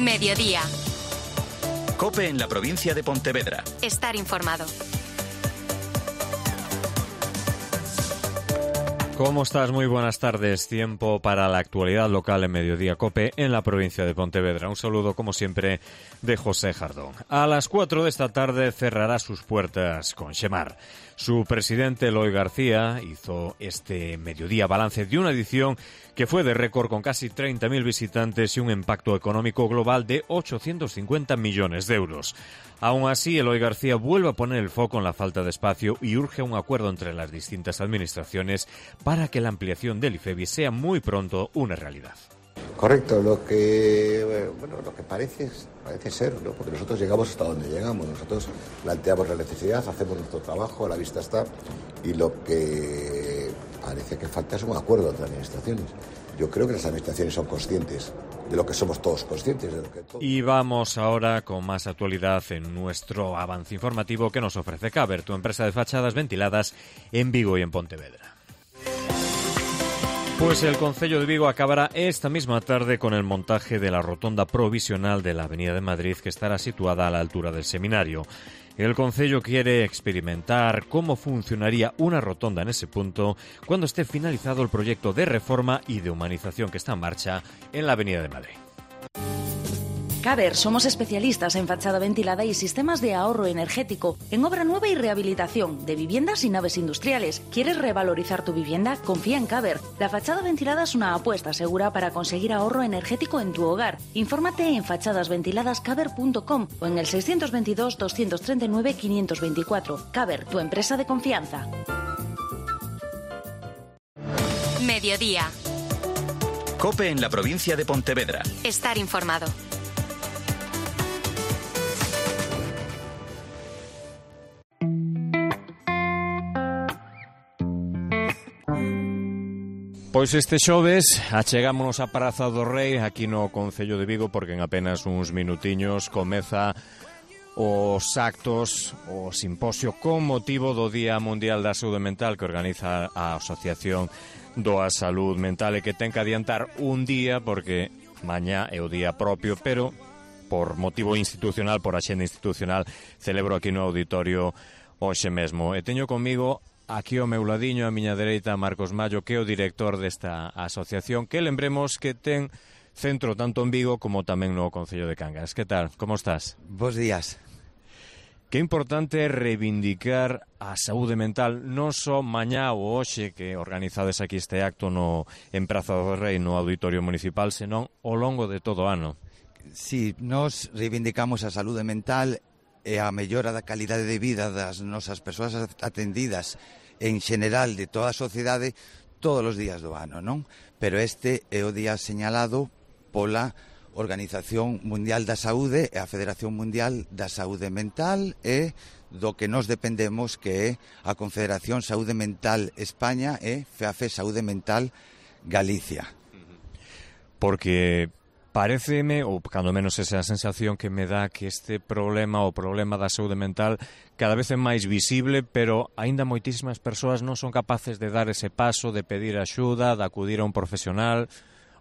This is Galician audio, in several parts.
Mediodía. COPE en la provincia de Pontevedra. Estar informado. ¿Cómo estás? Muy buenas tardes. Tiempo para la actualidad local en Mediodía COPE en la provincia de Pontevedra. Un saludo, como siempre, de José Jardón. A las 4 de esta tarde cerrará sus puertas con Xemar. Su presidente, Eloi García, hizo este mediodía balance de una edición que fue de récord con casi 30.000 visitantes y un impacto económico global de 850 millones de euros. Aún así, Eloi García vuelve a poner el foco en la falta de espacio y urge un acuerdo entre las distintas administraciones para que la ampliación del IFEBI sea muy pronto una realidad. Correcto, lo que parece ser, ¿no? Porque nosotros llegamos hasta donde llegamos, nosotros planteamos la necesidad, hacemos nuestro trabajo, a la vista está, y lo que parece que falta es un acuerdo entre administraciones. Yo creo que las administraciones son conscientes de lo que somos todos conscientes. Y vamos ahora con más actualidad en nuestro avance informativo que nos ofrece Caber, tu empresa de fachadas ventiladas en Vigo y en Pontevedra. Pues el Concello de Vigo acabará esta misma tarde con el montaje de la rotonda provisional de la Avenida de Madrid, que estará situada a la altura del seminario. El Concello quiere experimentar cómo funcionaría una rotonda en ese punto cuando esté finalizado el proyecto de reforma y de humanización que está en marcha en la Avenida de Madrid. Caber, somos especialistas en fachada ventilada y sistemas de ahorro energético, en obra nueva y rehabilitación de viviendas y naves industriales. ¿Quieres revalorizar tu vivienda? Confía en Caber. La fachada ventilada es una apuesta segura para conseguir ahorro energético en tu hogar. Infórmate en fachadasventiladascaber.com o en el 622 239 524. Caber, tu empresa de confianza. Mediodía. COPE en la provincia de Pontevedra. Estar informado. Pois este xoves achegámonos á Praza do Rei aquí no Concello de Vigo, porque en apenas uns minutiños comeza os actos, o simposio con motivo do Día Mundial da Saúde Mental que organiza a Asociación da Saúde Mental, e que ten que adiantar un día porque mañá é o día propio, pero por motivo institucional, por axenda institucional, celebro aquí no auditorio hoxe mesmo. E teño comigo aquí ao meu ladiño, a miña dereita, Marcos Mallo, que é o director desta asociación, que lembremos que ten centro tanto en Vigo como tamén no Concello de Cangas. Que tal? Como estás? Bos días. Que importante é reivindicar a saúde mental, non só mañá ou hoxe que organizades aquí este acto en Praza do Rei, no Auditorio Municipal, senón ao longo de todo o ano. Si, nós reivindicamos a saúde mental e a mellora da calidade de vida das nosas persoas atendidas en xeral de toda a sociedade todos os días do ano, non? Pero este é o día señalado pola Organización Mundial da Saúde e a Federación Mundial da Saúde Mental e do que nos dependemos, que é a Confederación Saúde Mental España e FEAFE Saúde Mental Galicia. Porque paréceme, ou cando menos esa sensación que me dá, que este problema, o problema da saúde mental, cada vez é máis visible, pero aínda moitísimas persoas non son capaces de dar ese paso, de pedir axuda, de acudir a un profesional,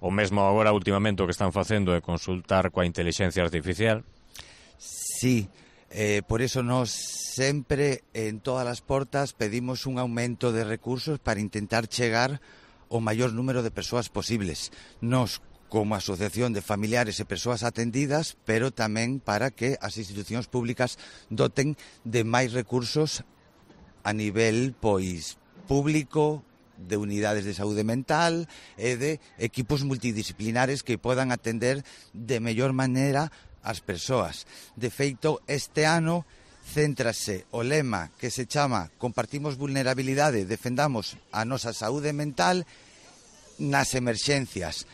ou mesmo agora últimamente o que están facendo é consultar coa inteligencia artificial. Sí, por iso nós sempre en todas as portas pedimos un aumento de recursos para intentar chegar ao maior número de persoas posibles. Nós, como asociación de familiares e persoas atendidas, pero tamén para que as institucións públicas doten de máis recursos a nivel público, de unidades de saúde mental e de equipos multidisciplinares que podan atender de mellor maneira as persoas. De feito, este ano céntrase o lema que se chama Compartimos vulnerabilidade, defendamos a nosa saúde mental nas emerxencias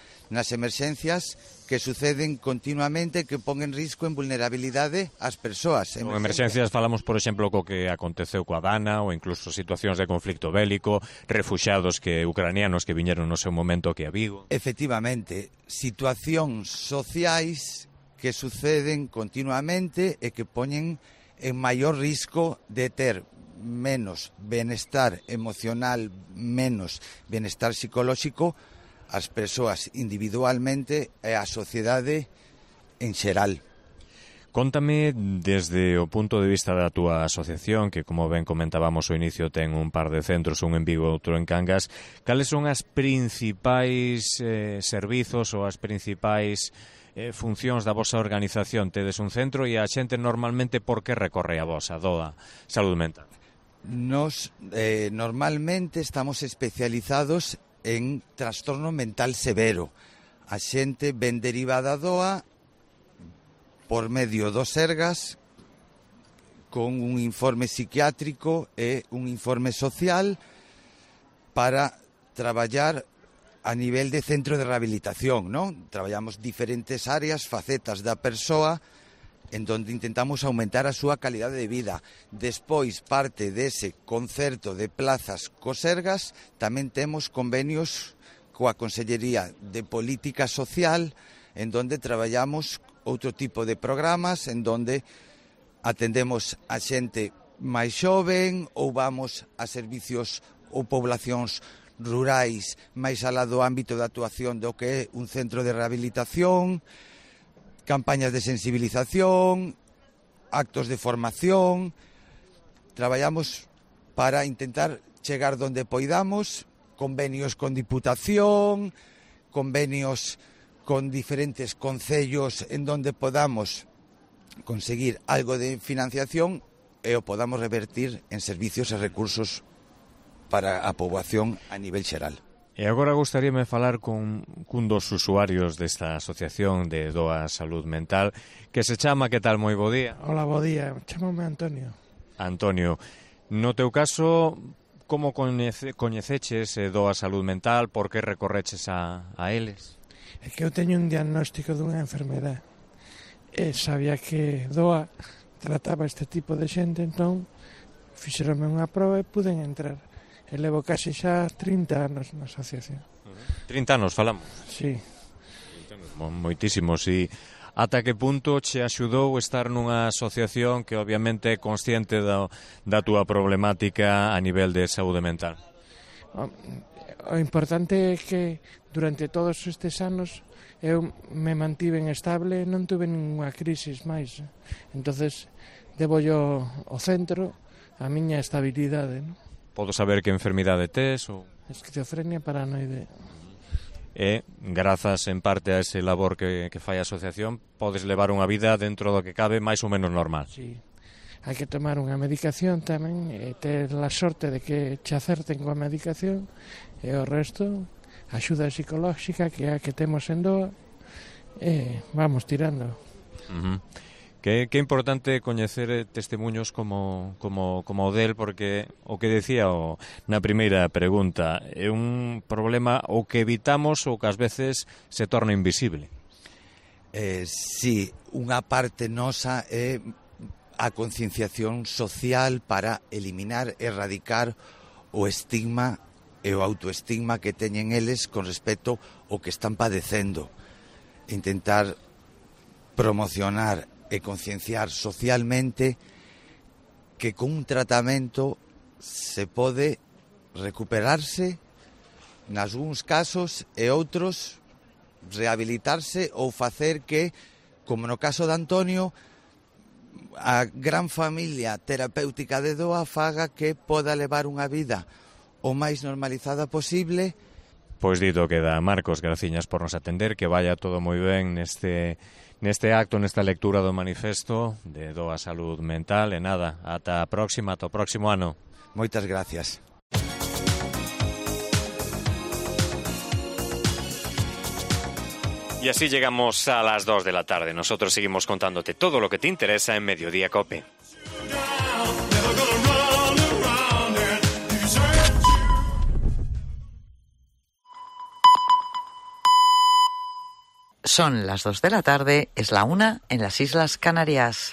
que suceden continuamente, que pon en risco, en vulnerabilidade as persoas. En emerxencias falamos, por exemplo, co que aconteceu coa Dana, ou incluso situacións de conflicto bélico, refuxiados ucranianos que viñeron no seu momento aquí a Vigo. Efectivamente, situacións sociais que suceden continuamente e que poñen en maior risco de ter menos benestar emocional, menos benestar psicolóxico as persoas individualmente e a sociedade en xeral. Cóntame, desde o punto de vista da túa asociación, que como ben comentábamos ao inicio ten un par de centros, un en Vigo e outro en Cangas, cales son as principais servizos ou as principais funcións da vosa organización? Tedes un centro e a xente normalmente por que recorre a vosa DOA Salud Mental? Nos normalmente estamos especializados en trastorno mental severo. A xente ven derivada DOA por medio do Sergas, con un informe psiquiátrico e un informe social para traballar a nivel de centro de rehabilitación, non? Traballamos diferentes áreas, facetas da persoa, en donde intentamos aumentar a súa calidade de vida. Despois, parte dese concerto de plazas co Sergas, tamén temos convenios coa Consellería de Política Social, en donde traballamos outro tipo de programas, en donde atendemos a xente máis xoven ou vamos a servicios ou poblacións rurais máis alá do ámbito de actuación do que é un centro de rehabilitación, campañas de sensibilización, actos de formación. Traballamos para intentar chegar donde poidamos, convenios con Diputación, convenios con diferentes concellos en donde podamos conseguir algo de financiación e o podamos revertir en servicios e recursos para a poboación a nivel xeral. E agora gostaríame falar cun dos usuarios desta asociación de DOA Salud Mental, que se chama, que tal, moi bo día? Hola, bo día, chamame Antonio. Antonio, no teu caso, como coñeceches DOA Salud Mental, por que recorreches a eles? É que eu teño un diagnóstico dunha enfermedade e sabía que DOA trataba este tipo de xente, entón fixeronme unha proba e puden entrar. E levo casi xa 30 anos na asociación. 30 anos falamos? Sí. Moitísimos. E ata que punto che axudou estar nunha asociación que obviamente é consciente da túa problemática a nivel de saúde mental? O importante é que durante todos estes anos eu me mantiven estable, non tuve ninguna crisis máis. Entonces debo yo ao centro a miña estabilidade, non? Podo saber que enfermidade tes? Ou... Esquizofrenia paranoide. E, grazas en parte a ese labor que fai a asociación, podes levar unha vida dentro do que cabe máis ou menos normal. Sí. Hai que tomar unha medicación tamén e ter a sorte de que che acerten coa medicación e o resto, axuda psicolóxica que é a que temos en DOA e vamos tirando. Que importante coñecer testemunhos como o del, porque o que decía na primeira pregunta é un problema o que evitamos ou que ás veces se torna invisible. Sí, unha parte nosa é a concienciación social para eliminar, erradicar o estigma e o autoestigma que teñen eles con respecto ao que están padecendo. Intentar promocionar e concienciar socialmente que con un tratamento se pode recuperarse nalgúns casos e outros rehabilitarse ou facer que, como no caso de Antonio, a gran familia terapéutica de DOA faga que poda levar unha vida o máis normalizada posible. Pois dito queda. Marcos, graciñas por nos atender, que vaya todo moi ben neste acto, nesta lectura do manifesto de DOA Salud Mental. E nada, ata a próxima, ata o próximo ano. Moitas gracias. Y así llegamos a las 2 de la tarde. Nosotros seguimos contándote todo lo que te interesa en Mediodía COPE. Son las 2 de la tarde, es la 1 en las Islas Canarias.